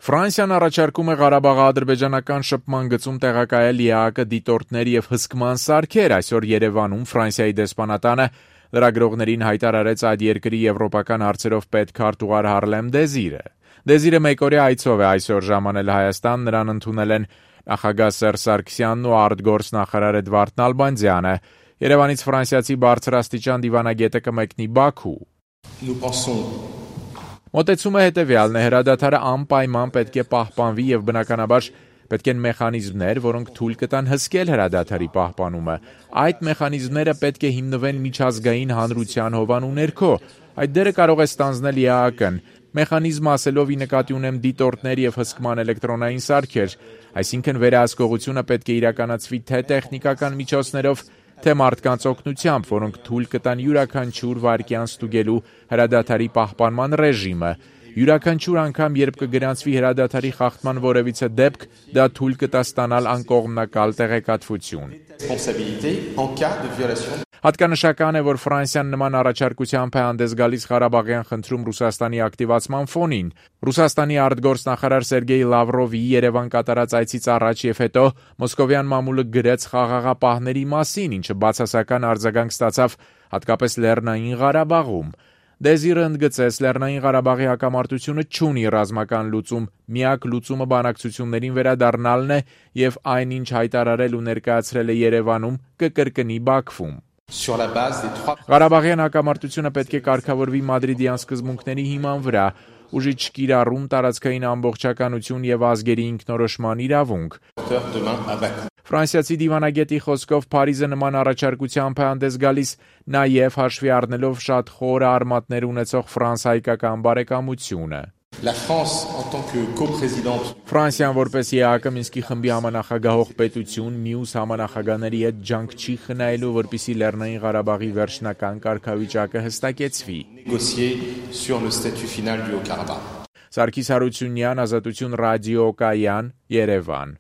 Ֆրանսիան առաջարկում է Ղարաբաղի ադրբեջանական շփման գծում տեղակայել ԵԱՀԿ դիտորդներ եւ հսկման սարքեր։ Այսօր Երևանում Ֆրանսիայի դեսպանատանը լրագրողներին հայտարարեց այդ երկրի եվրոպական հարցերով պետքարտուղար Հարլեմ Դեզիրը։ Դեզիրը մեկօրյա այցով է այսօր ժամանել Հայաստան, նրան ընդունել են նախագահ Սերժ Սարգսյանն ու արտգործնախարար Էդվարդ Նալբանդյանը։ Երևանից ֆրանսիացի բարձրաստիճան դիվանագետը կմեկնի Բաքու։ Մոտեցումը հետևյալն է. հրադադարը անպայման պետք է պահպանվի եւ բնականաբար պետք են մեխանիզմներ, որոնք թույլ կտան հսկել հրադադարի պահպանումը։ Այդ մեխանիզմները պետք է հիմնվեն միջազգային հանրության հովանու ներքո։ Այդ դերը կարող է ստանձնել ԵԱՀԿ-ն։ Մեխանիզմը ասելով ի նկատի ունեմ դիտորդներ եւ հսկման էլեկտրոնային սարքեր, այսինքն վերահսկողությունը պետք է իրականացվի թե տեխնիկական միջոցներով, թե մարդկանց օգնությամբ, որոնք թույլ կտան յուրաքանչյուր վայրկյան ստուգելու հրադադարի պահպանման ռեժիմը։ Յուրաքանչյուր անգամ, երբ կգրանցվի հրադադարի խախտման որևիցե դեպք, դա թույլ կտա ստանալ անկողմնակալ տեղեկատվություն։ Հատկանշական է, որ Ֆրանսիան նման առաջարկությամբ է հանդես գալիս Ղարաբաղյան խնդրում Ռուսաստանի ակտիվացման ֆոնին։ Ռուսաստանի արտգործնախարար Սերգեյ Լավրովի Երևան կատարած այցից առաջ եւ հետո մոսկովյան մամուլը գրեց խաղաղապահների մասին, ինչը բացասական արձագանք ստացավ հատկապես Լեռնային Ղարաբաղում։ Դեզիրը ընդգծեց, Լեռնային Ղարաբաղի հակամարտությունը չունի ռազմական լուծում, միակ լուծումը բանակցություններին վերադառնալն է եւ այն, ինչ հայտարարել ու ներկայացրել է Երևանում, կկրկնի Բաքվում։ Ղարաբաղյան հակամարտությունը պետք է կարգավորվի մադրիդյան սկզբունքների հիման վրա, ուժի չկիրառում, տարածքային ամբողջականություն եւ ազգերի ինքնորոշման իրավունք։ Ֆրանսիացի դիվանագետի խոսքով Փարիզը նման առաջարկությամբ է հանդես գալիս նաև հաշվի առնելով շատ խորը արմատներ ունեցող ֆրանս-հայկական բարեկամությունը։ Ֆրանսիան որպես ԵԱՀԿ Մինսկի խմբի համանախագահող պետություն մյուս համանախագահների հետ ջանք չի խնայելու, որպեսզի Լեռնային Ղարաբաղի վերջնական կարգավիճակը հստակեցվի։ Սարգիս Հարությունյան, Ազատություն ռադիո Կայան, Երևան։